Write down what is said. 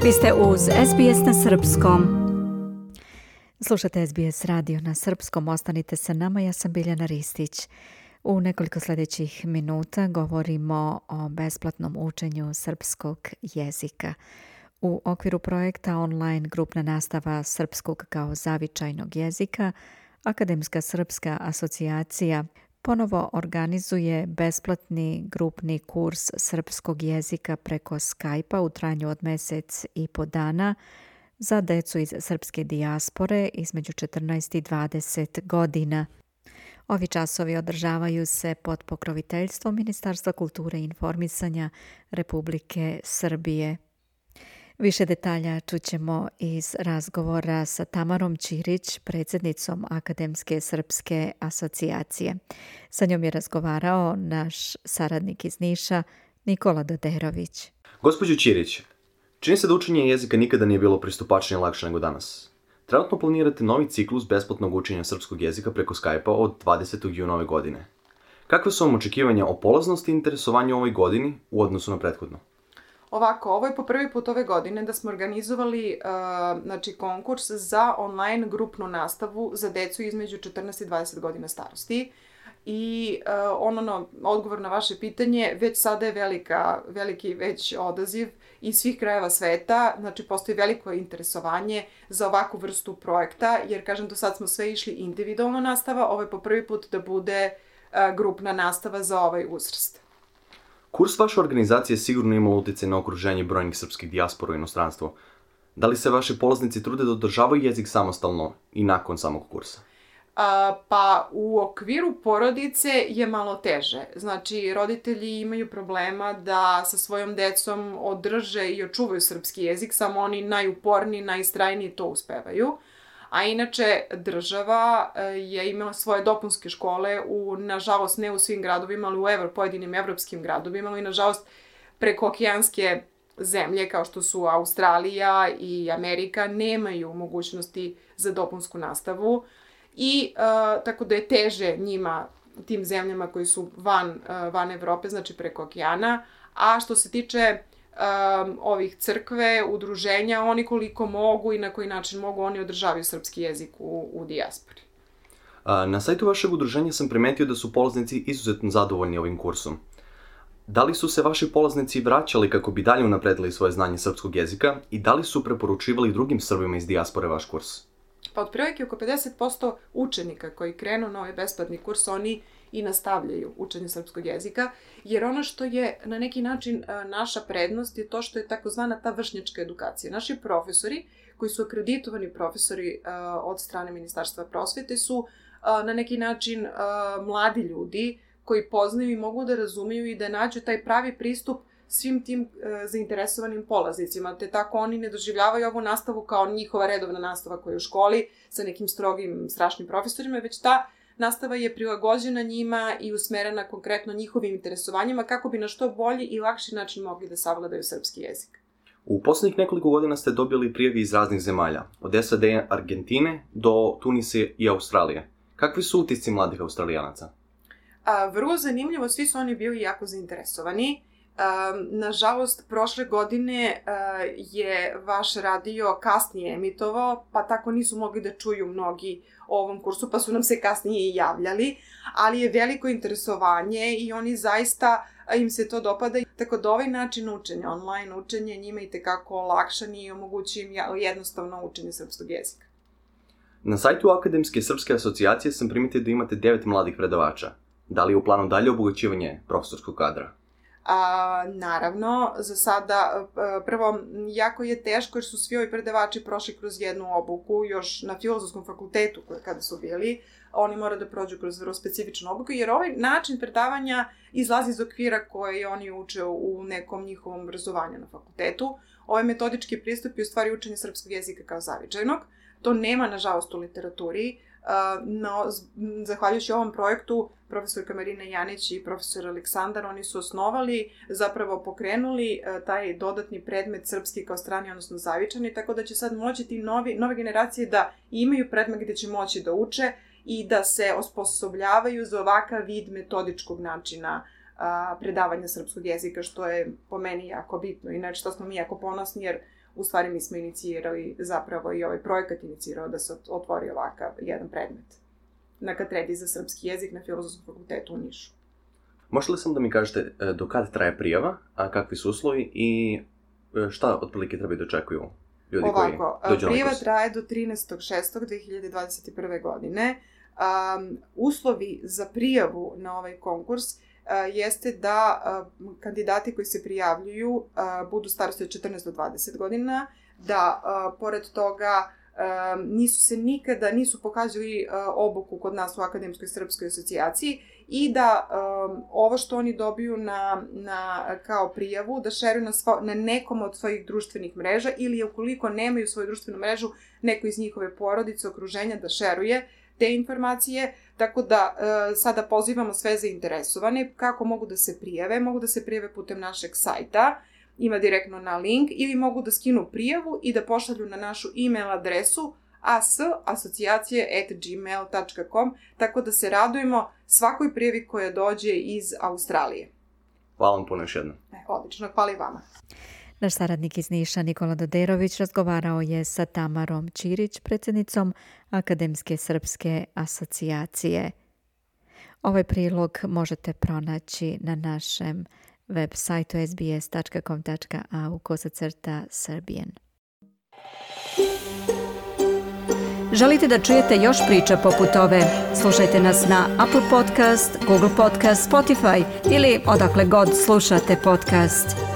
Vi ste uz SBS na Srpskom. Slušate SBS radio na Srpskom. Ostanite sa nama, ja sam Biljana Ristić. U nekoliko sljedećih minuta govorimo o besplatnom učenju srpskog jezika. U okviru projekta online grupna nastava srpskog kao zavičajnog jezika, Akademska srpska asocijacija ponovo organizuje besplatni grupni kurs srpskog jezika preko Skype-a u trajanju od mjesec i po dana za decu iz srpske dijaspore između 14 i 20 godina. Ovi časovi održavaju se pod pokroviteljstvom Ministarstva kulture i informisanja Republike Srbije. Više detalja čućemo iz razgovora sa Tamarom Ćirić, predsjednicom Akademske srpske asocijacije. Sa njom je razgovarao naš saradnik iz Niša, Nikola Doderović. Gospođo Ćirić, čini se da učenje jezika nikada nije bilo pristupačnije i lakše nego danas. Trenutno planirate novi ciklus besplatnog učenja srpskog jezika preko Skype-a od 20. juna ove godine. Kakve su vam očekivanja o polaznosti i interesovanju ovoj godini u odnosu na prethodno? Ovako, ovo je po prvi put ove godine da smo organizovali konkurs za online grupnu nastavu za decu između 14 i 20 godina starosti. I odgovor na vaše pitanje, već sada je veliki odaziv iz svih krajeva sveta, znači postoji veliko interesovanje za ovakvu vrstu projekta, jer kažem do sad smo sve išli individualna nastava, ovo je po prvi put da bude grupna nastava za ovaj uzrast. Kurs vaše organizacije sigurno imao utjecaj na okruženje brojnih srpskih dijaspora u inostranstvu. Da li se vaši polaznici trude da održavaju jezik samostalno i nakon samog kursa? Pa u okviru porodice je malo teže. Znači, roditelji imaju problema da sa svojom decom održe i očuvaju srpski jezik, samo oni najuporniji, najistrajniji to uspevaju. A inače, država je imala svoje dopunske škole nažalost, ne u svim gradovima, ali u pojedinim evropskim gradovima, ali nažalost prekookeanske zemlje kao što su Australija i Amerika nemaju mogućnosti za dopunsku nastavu i tako da je teže njima, tim zemljama koji su van Evrope, znači preko okeana. A što se tiče ovih crkve, udruženja, oni koliko mogu i na koji način mogu, oni održavaju srpski jezik u dijaspori. Na sajtu vašeg udruženja sam primetio da su polaznici izuzetno zadovoljni ovim kursom. Da li su se vaši polaznici vraćali kako bi dalje unapredili svoje znanje srpskog jezika i da li su preporučivali drugim Srbima iz dijaspore vaš kurs? Pa otprilike oko 50% učenika koji krenu na ovaj besplatni kurs, oni i nastavljaju učenje srpskog jezika, jer ono što je na neki način naša prednost je to što je takozvana ta vršnjačka edukacija. Naši profesori, koji su akreditovani profesori od strane Ministarstva prosvete, su na neki način mladi ljudi koji poznaju i mogu da razumiju i da nađu taj pravi pristup svim tim zainteresovanim polaznicima, te tako oni ne doživljavaju ovu nastavu kao njihova redovna nastava koja je u školi sa nekim strogim, strašnim profesorima, već ta nastava je prilagođena njima i usmerena konkretno njihovim interesovanjima kako bi na što bolji i lakši način mogli da savladaju srpski jezik. U posljednjih nekoliko godina ste dobili prijave iz raznih zemalja, od SAD, Argentine do Tunisa i Australije. Kakvi su utisci mladih Australijanaca? Vrlo zanimljivo, svi su oni bili jako zainteresovani. Nažalost, prošle godine je vaš radio kasnije emitovao, pa tako nisu mogli da čuju mnogi o ovom kursu, pa su nam se kasnije i javljali, ali je veliko interesovanje i oni zaista, im se to dopada, tako da ovaj način učenja, online učenje, njima itekako olakšan i omogući im jednostavno učenje srpskog jezika. Na sajtu Akademske srpske asocijacije sam primetio da imate 9 mladih predavača. Da li je u planu dalje obogaćivanje profesorskog kadra? Naravno, za sada, prvo, jako je teško jer su svi ovi predavači prošli kroz jednu obuku, još na Filozofskom fakultetu kada su bili, oni moraju da prođu kroz vrlo specifičnu obuku, jer ovaj način predavanja izlazi iz okvira koje oni uče u nekom njihovom obrazovanju na fakultetu. Ovaj metodički pristup je u stvari učenje srpskog jezika kao zavičajnog. To nema, nažalost, u literaturi, no, zahvaljujući ovom projektu, profesorka Marina Janić i profesor Aleksandar, oni su osnovali, zapravo pokrenuli taj dodatni predmet srpski kao strani, odnosno zavičani, tako da će sad moći ti nove generacije da imaju predmet gdje će moći da uče i da se osposobljavaju za ovakav vid metodičkog načina predavanja srpskog jezika, što je po meni jako bitno i što smo mi jako ponosni, jer u stvari mi smo inicirali zapravo i ovaj projekat inicirao da se otvori ovakav jedan predmet na katedri za srpski jezik na Filozofskom fakultetu u Nišu. Možete li samo da mi kažete do kada traje prijava, a kakvi su uslovi i šta otprilike treba da očekuju ljudi koji dođu na kurs? Prijava traje do 13.6.2021. godine. Uslovi za prijavu na ovaj konkurs jeste da kandidati koji se prijavljuju budu starosti od 14 do 20 godina, da pored toga nisu pokazali obuku kod nas u Akademskoj srpskoj asocijaciji i da ovo što oni dobiju kao prijavu da šeruju na nekom od svojih društvenih mreža ili ukoliko nemaju svoju društvenu mrežu, neko iz njihove porodice, okruženja da šeruje te informacije, tako da sada pozivamo sve zainteresovane kako mogu da se prijave. Mogu da se prijave putem našeg sajta, ima direktno na link, ili mogu da skinu prijavu i da pošalju na našu e-mail adresu asocijacije@gmail.com, tako da se radujemo svakoj prijavi koja dođe iz Australije. Hvala vam puno još jednom. Odlično, hvala i vama. Naš saradnik iz Niša, Nikola Doderović, razgovarao je sa Tamarom Ćirić, predsjednicom Akademske srpske asocijacije. Ovaj prilog možete pronaći na našem web sajtu sbs.com.au/Serbian. Želite da čujete još priča poput ove? Slušajte nas na Apple Podcast, Google Podcast, Spotify ili odakle god slušate podcast.